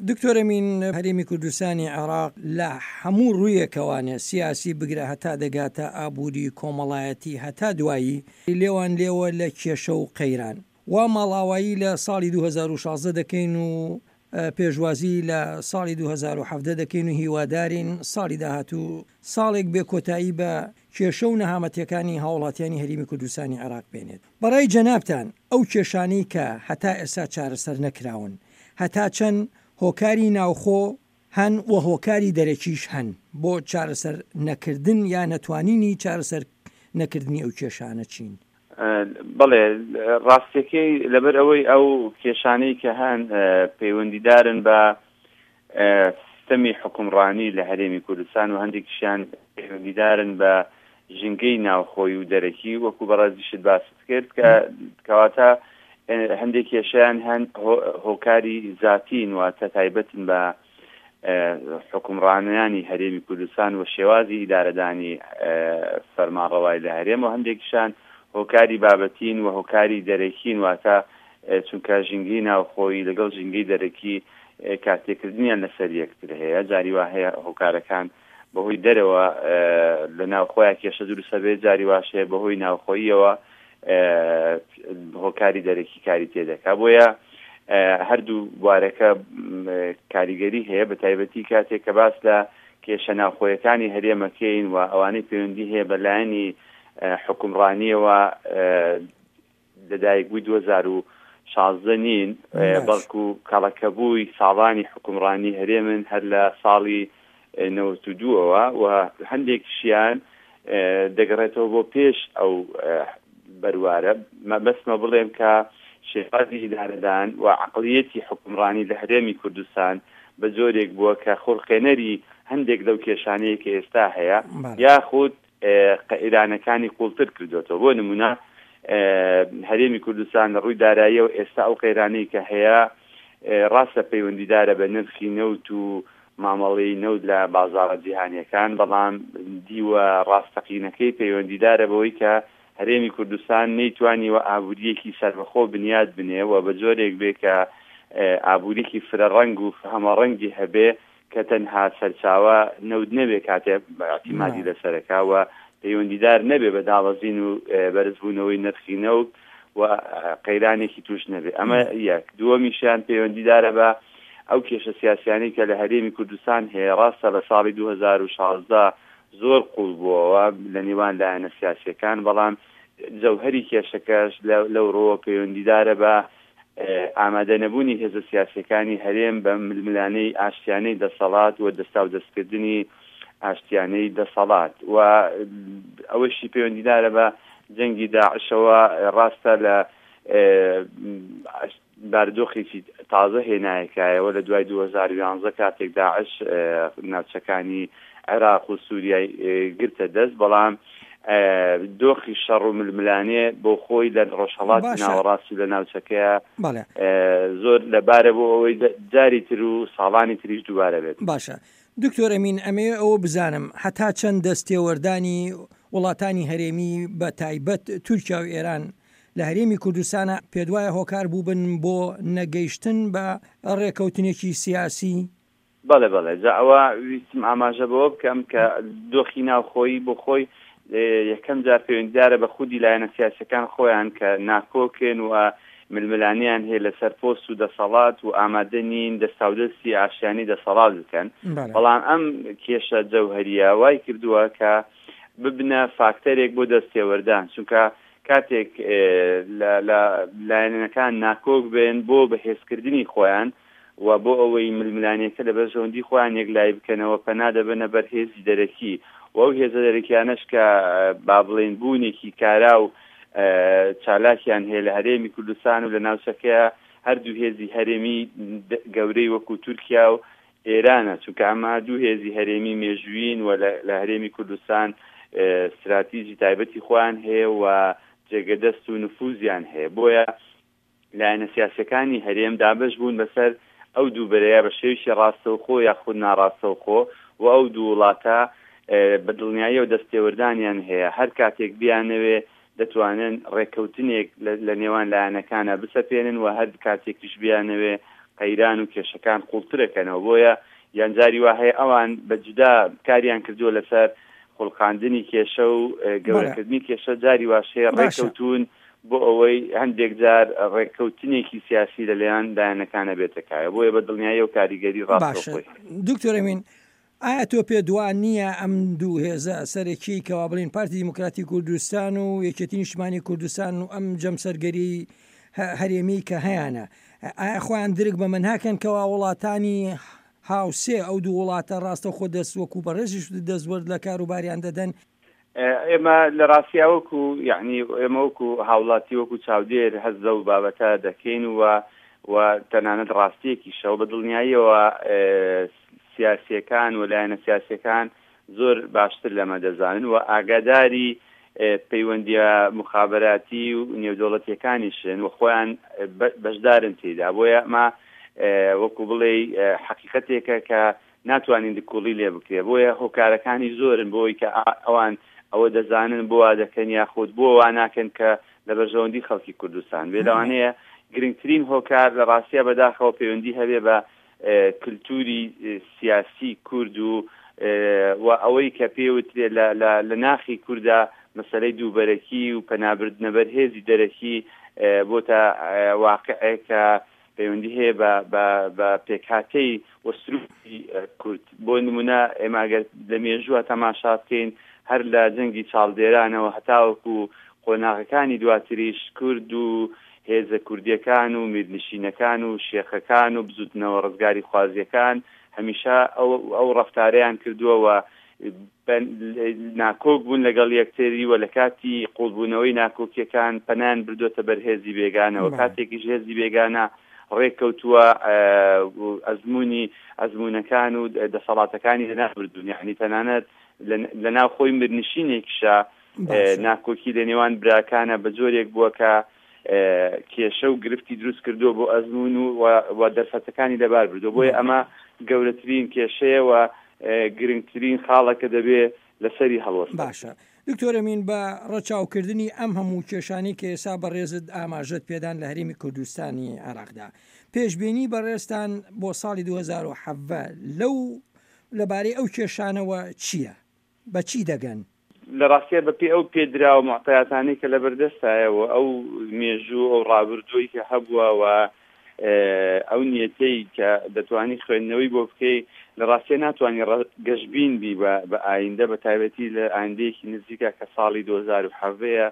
دکتۆر ئەمین هەرێمی کوردستانی عێراق لە هەموو ڕوویەکەوانێ سیاسی بگرە هەتا دەگاتە ئابووری کۆمەڵایەتی هەتا دوایی لێوان لێوە لە کێشە و قەیران. وا ماڵئاوایی لە ساڵی 2016 دەکەین و پێشوازی لە ساڵی 2017 دەکەین و هیوادارین ساڵی داهاتوو ساڵێک بێ کۆتایی بە کێشە و نەهامەتیەکانی هاوڵاتیانی هەریمی کوردستانی عێراق بێنێت. بەڕای جەنابتان ئەو کێشانەی کە هەتا ئێستا چارەسەر نەکراون هەتا چەند هۆکاری ناوخۆ هەن و هۆکاری دەرەکیش هەن بۆ چارەسەر نەکردن یا نەتوانینی چارەسەر نەکردنی ئەو کێشانە چین؟ بەڵێ ڕاستیەکەی لەبەر ئەوەی ئەو کێشانەی کە هەن پەیوەندیدارن بە سیستەمی حوکمڕانی لە هەرێمی کوردستان و هەندێکیشیان پەیوەندیدارن بە ژینگەی ناوخۆی و دەرەکی وەکو بەڕێزیشت باست کرد کە کەواتە هەندێک کێشیان هەن هۆکاری زاتین واتە تایبەتن بە حکومڕانیانی هەرێمی کوردستان و شێوازی ئیدارەدانی فەرمانڕەوای لە هەرێم و هەندێکیشان هۆکاری بابەتین و هۆکاری دەرەکین واتە چونکە ژینگەی ناوخۆیی لەگەڵ ژینگەی دەرەکی کارتێکردنیان لەسەر یەکتر هەیە، جاری وا هەیە هۆکارەکان بەهۆی دەرەوە لە ناوخۆیان کێشە دروست هەبێت، جاری واش هەیە بەهۆی ناوخۆییەوە هۆکاری دەرەکی کاری تێدەکا. بۆیە هەردوو بوارەکە کاریگەری هەیە، بە تایبەتی کاتێک کە باس لە کێشە ناوخۆیەکانی هەرێمەکەین و ئەوانەی پەیوەندی هەیە بە لایەنی حکومڕانیەوە لەدایکبووی 2016 نین، بەڵکو کەڵەکەبووی ساڵانی حوکمڕانی هەرێمن هەر لە ساڵی 92 ەوە و هەندێکیشیان دەگەڕێتەوە بۆ پێش ئەو بەروارە. مەبەستمە بڵێم کە شێوازی ئیدارەدان و عەقڵیەتی حوکمڕانی لە هەرێمی کوردستان بە جۆرێک بووە کە خوڵقێنەری هەندێک لەو کێشانەیە کە ئێستا هەیە، یاخود قەیرانەکانی قوڵتر کردۆتەوە. بۆ نمونە هەرێمی کوردستان لە ڕووی داراییەوە ئێستا ئەو قەیرانەی کە هەیە ڕاستە پەیوەندیدارە بە نرخی نەوت و مامەڵەی نەوت لە بازاڕە جیهانیەکان، بەڵام دیوە ڕاستەقینەکەی پەیوەندیدارە بەوەی کە هەرێمی کوردستان نەیتوانیوە ئابوورییەکی سەربەخۆ بنیات بنێ و بە جۆرێک بێ کە ئابووریی فرەڕەنگ و هەمەڕەنگی هەبێ کە تەنها سەرچاوە نەوت نەبێ کاتێ ئیعتیمادی لەسەرەکا و پەیوەندیدار نەبێ بە دابەزین و بەرزبوونەوەی نرخی نەوت و قەیرانێکی توش نەبێ. ئەمە یەک. دووەمیشیان پەیوەندیدارە بە ئەو کێشە سیاسیانەی کە لە هەرێمی کوردستان هەیە. ڕاستە لە ساڵی 2016 زۆر قوڵ بووەوە لە نێوان لایەنە سیاسیەکان، بەڵام جەوهەری کێشەکەش لەو ڕووە پەیوەندیدارە بە ئامادەنەبوونی هێزە سیاسییەکانی هەرێم بە ململانێی ئاشتیانەی دەسەڵات و دەستاودەستکردنی ئاشتیانەی دەسەڵات و ئەوەشی پەیوەندیدارە بە جەنگی داعشەوە ڕاستە لە بارودۆخێکی تازە هێنایەکایەوە لە دوای 2011 کاتێک داعش ناوچەکانی عێراق و سووریای گرتە دەست، بەڵام دۆخی شەڕ و ململانێ بۆ خۆی لە ڕۆژهەڵاتی ناوەڕاست و لە ناوچەکەیە زۆر لەبارە بۆ ئەوەی جاری تر و ساڵانی تریش دووبارە بێت. باشە دکتۆر ئەمین ئەمەوێ ئەوە بزانم هەتا چەند دەستێوەردانی وڵاتانی هەرێمی بە تایبەت تورکیا و ئێران لە هەرێمی کوردستانە پێدوایە هۆکار بووبن بۆ نەگەیشتن بە ڕێکەوتنێکی سیاسی؟ بەڵێ بەڵێ جا ئەوە ویستم ئاماژە بەوە بکەم کە دۆخی ناوخۆیی بۆ خۆی یەکەم جار پەیوەندیدارە بە خودی لایەنە سیاسەکان خۆیان کە ناکۆکن و ململانیان هەیە لەسەر پۆست و دەسەڵات و ئامادە نین دەستاودەستی ئاشتیانی دەسەڵات بکەن. بەڵام ئەم کێشە جەوهەریە وای کردووە کە ببنە فاکتەرێک بۆ دەستێوەردان، چونکە کاتێک لە لایەنەکان ناکۆک بن بۆ بەهێزکردنی خۆیان و بۆ ئەوەی ململانێکە لە بەرژەوەندی خۆیان یەکلایی بکەنەوە پەنا دەبەنە بەر هێزی دەرەکی و ئەو هێزە دەرەکیانەش کە با بڵێین بوونێکی کارا و چالاکیان هەیە لە هەرێمی کوردستان و لە ناوچەکەیە هەردوو هێزی هەرێمی گەورەی وەکو تورکیا و ئێرانە، چونکە ئەمە دوو هێزی هەرێمی مێژوویین و لە هەرێمی کوردستان ستراتیجی تایبەتی خۆیان هەیە و جێگە دەست و نفوزیان هەیە، بۆیە لایەنە سیاسیەکانی هەرێم دابەش بوون بەسەر ئەو دوو بەرەیە بە شێوەیەکی ڕاستەوخۆ یاخود ناڕاستەوخۆ و ئەو دوو وڵاتە بە دڵنیاییەوە دەستێوەردانیان هەیە هەر کاتێک بیانەوێ دەتوانن ڕێککەوتنێک لە نێوان لایەنەکانە بسەپێنن و هەر کاتێکیش بیانەوێ. قەیران و کێشەکان قوڵترەکەنەوە بۆیە یان جاری وا هەیە ئەوان بە جودا کاریان کردووە لەسەر خوڵقاندنی کێشە و گەورەکردنی کێشە جاری واش هەیە ڕێککەوتوون بۆ ئەوەی هەندێک جار ڕێککەوتنێکی سیاسی لەلایەن لایەنەکانە بێتە کایە بۆیە بە دڵنیاییەوە کاریگەری ڕاستەوخۆی هەیە. دکتۆر ئەمین ئایا تۆ پێت وا نییە ئەم دوو هێزە سەرەکیی کەوا بڵێین پارتی دیموکراتی کوردستان و یەکێتی نیشتمانی کوردستان و ئەم جەمسەرگەری هەرێمی کە هەیانە ئایا خۆیان درک بەمە ناکەن کەوا وڵاتانی هاوسێ ئەو دوو وڵاتە ڕاستەوخۆ دەست وەکو بەڕێزیش دەستوەرد لە کاروباریان دەدەن؟ ئێمە لە ڕاستیا وەکو یعنی ئێمە وەکو هاوڵاتی وەکو چاودێر هەست لەو بابەتە دەکەین و و تەنانەت ڕاستیەکیشەوە بە دڵنیاییەوە سیاسیەکان و لایەنە سیاسیەکان زۆر باشتر لەمە دەزانن و ئاگاداری پەیوەندیە مخابراتی و نێودەوڵەتیەکانیشن و خۆیان بەشدارن تێدا بۆیە ئەمە وەکو بڵێ حەقیقەتێکە کە ناتوانین نکوڵی لێ بکرێ بۆیە هۆکارەکانی زۆرن بۆی کە ئەوان ئەوە دەزانن بۆ وا دەکەن یاخود بۆ وا ناکەن کە لە بەرژەوەندی خەڵکی کوردستان بێ لەوانەیە گرنگترین هۆکار لە ڕاستیا بەداخەوە پەیوەندی هەبێ بە کلتوری سیاسی کورد و و ئەوەی کە پێوترێ لە لە ناخی کوردا مەسەلەی دووبەرەکی و پەنابردنە بەر هێزی دەرەکی بۆتە واقعێک کە پەیوەندی هەیە بە بە بە پێکهاتەی و سروشتی کورد بۆ نمونە ئێمە گەر لە مێژووە تەماشا بکەین هەر لە جەنگی چاڵدێرانەوە هەتاوەکو قۆناغەکانی دواتریش کورد و هێزە کوردیەکان و میرنشینەکان و شێخەکان و بزوتنەوە ڕزگاریخوازیەکان هەمیشە ئەو ئەو ڕەفتارەیان کردووە و ناکۆک بوون لەگەڵ یەکتری و لە کاتی قوڵبوونەوەی ناکۆکیەکان پەنایان بردووەتە بەر هێزی بێگانەوە کاتێکیش هێزی بێگانە ڕێککەوتووە ئەزموونی ئەزموونەکان و دەسەڵاتەکانی لەناوبردوون یعنی تەنانەت لەناو خۆی مرنشینێکیشە ناکۆکی لە نێوان براکانە بە جۆرێک بووە کە کێشە و گرفتی دروست کردووە بۆ ئەزموون و و دەرفەتەکانی لەبار بردووە بۆیە ئەمە گەورەترین کێشەیە و گرنگترین خاڵە کە دەبێ لەسەری هەڵوەستە باشە دکتۆر ئەمین بە ڕەچاوکردنی ئەم هەموو کێشانەی کە ئێستا بەڕێزت ئاماژەت پێدان لە هەرێمی کوردستانی عێراقدا پێشبینی بەڕێزتان بۆ ساڵی 2017 لەو لەبارەی ئەو کێشانەوە چییە؟ بە چی دەگەن؟ لە ڕاستیا بە پێی ئەو پێدراوە موعتەیاتانەی کە لەبەر دەستایە و ئەو مێژوو ئەو ڕابردووی کە هەبووە و ئەو نیەتەی کە دەتوانی خوێندنەوەی بۆ بکەی لە ڕاستیا ناتوانی گەشبین بی بە ئایندە بە تایبەتی لە ئایندەیەکی نزیکە کە ساڵی 2017 ە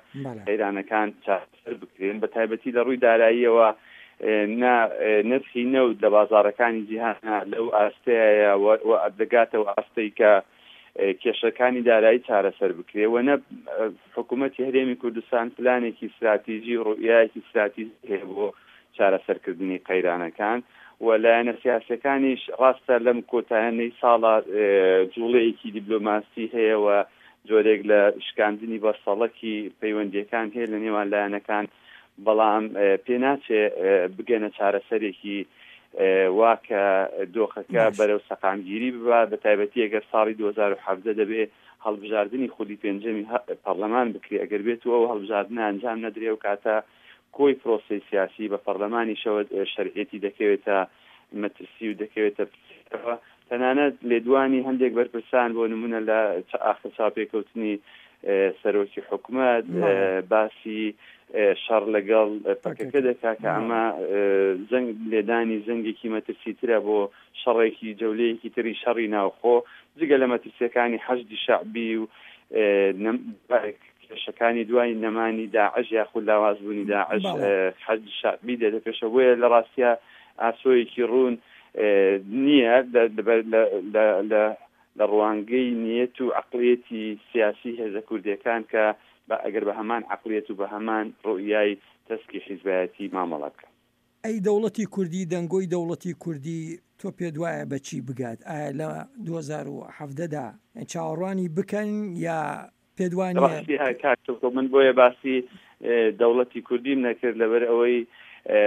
قەیرانەکان چارەسەر بکرێن بە تایبەتی لە ڕووی داراییەوە نا نرخی نەوت لە بازاڕەکانی جیهانا لەو ئاستەیە و دەگاتەوە ئاستەی کە کێشەکانی دارایی چارەسەر بکرێ و نە حکوومەتی هەرێمی کوردستان پلانێکی ستراتیژی و ڕوئیایەکی ستراتیژی هەیە بۆ چارەسەرکردنی قەیرانەکان و لایەنە سیاسەکانیش ڕاستە لەم کۆتایانەی ساڵە جوڵەیەکی دیبلۆماسی هەیە و جۆرێک لە شکاندنی بەستەڵەکی پەیوەندیەکان هەیە لە نێوان لایەنەکان بەڵام پێناچێ بگەنە چارەسەرێکی وا کە دۆخەکە بەرەو سەقامگیری ببا بە تایبەتی ئەگەر ساڵی 2017 دەبێ هەڵبژاردنی خولی پێنجەمی پەرلەمان بکرێ ئەگەر بێت و ئەو هەڵبژاردنە ئەنجام نەدرێ و کاتە کۆی پرۆسەی سیاسی بە پەرلەمانیشەوە شەرعیەتی دەکەوێتە مەترسی و دەکەوێتە پرسیارەوە. تەنانەت لێدوانی هەندێک بەرپرسان بۆ نمونە لە ئاخر چاوپێکەوتنی سەرۆکی حکومەت باسی شەڕ لەگەڵ پەکەکە دەکا کە ئەمە زەنگ لێدانی زەنگێکی مەترسیترە بۆ شەڕێکی جەولەیەکی تری شەڕی ناوخۆ جگە لە مەترسیەکانی حەشدی شەعبی و کێشەکانی دوای نەمانی داعش یاخود لاوازبوونی داعش حەشدی شەعبی دێتە پێشەوە بۆیە لە ڕاستیا ئاسۆیەکی ڕوون نییە لە ڕوانگەی نیەت و عەقڵیەتی سیاسی هێزە کوردیەکان کە بە ئەگەر بە هەمان عەقڵیەت و بە هەمان ڕوئیای تەسکی حیزبایەتی مامەڵە بکەن. ئەی دەوڵەتی کوردی، دەنگۆی دەوڵەتی کوردی تۆ پێت وایە بە چی بگات؟ ئایا لە 2017 دا چاوەڕوانی بکەن یا پێت وا نییە؟ ڕاستی ها کاک تۆکۆ من بۆیە باسی دەوڵەتی کوردیم نەکرد لەبەر ئەوەی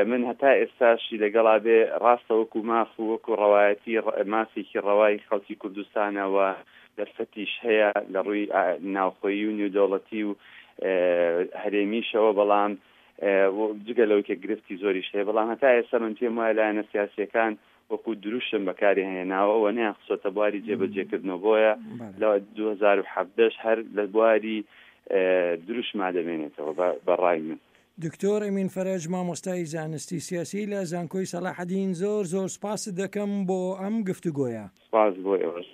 من هەتا ئێستاشی لەگەڵا بێ ڕاستە وەکو ماف و وەکو ڕەوایەتی مافێکی ڕەوای خەڵکی کوردستانە و دەرفەتیش هەیە لە ڕووی ناوخۆیی و نێودەوڵەتی و هەرێمیشەوە بەڵام. جگە لەوەی کە گرفتی زۆریش هەیە، بەڵام هەتا ئێستا من پێم وایە لایەنە سیاسییەکان وەکو دروشم بەکاری هێناوە و نەیان خستۆتە بواری جێبەجێکردنەوە، بۆیە لە 2017 هەر لە بواری دروشما دەمێنێتەوە بە ڕای من. دکتۆر ئەمین فەرەج مامۆستای زانستی سیاسی لە زانکۆی سەلاحەدین زۆر زۆر سوپاست دەکەم بۆ ئەم گفتوگۆیە. سوپاس بۆ ئێوەش.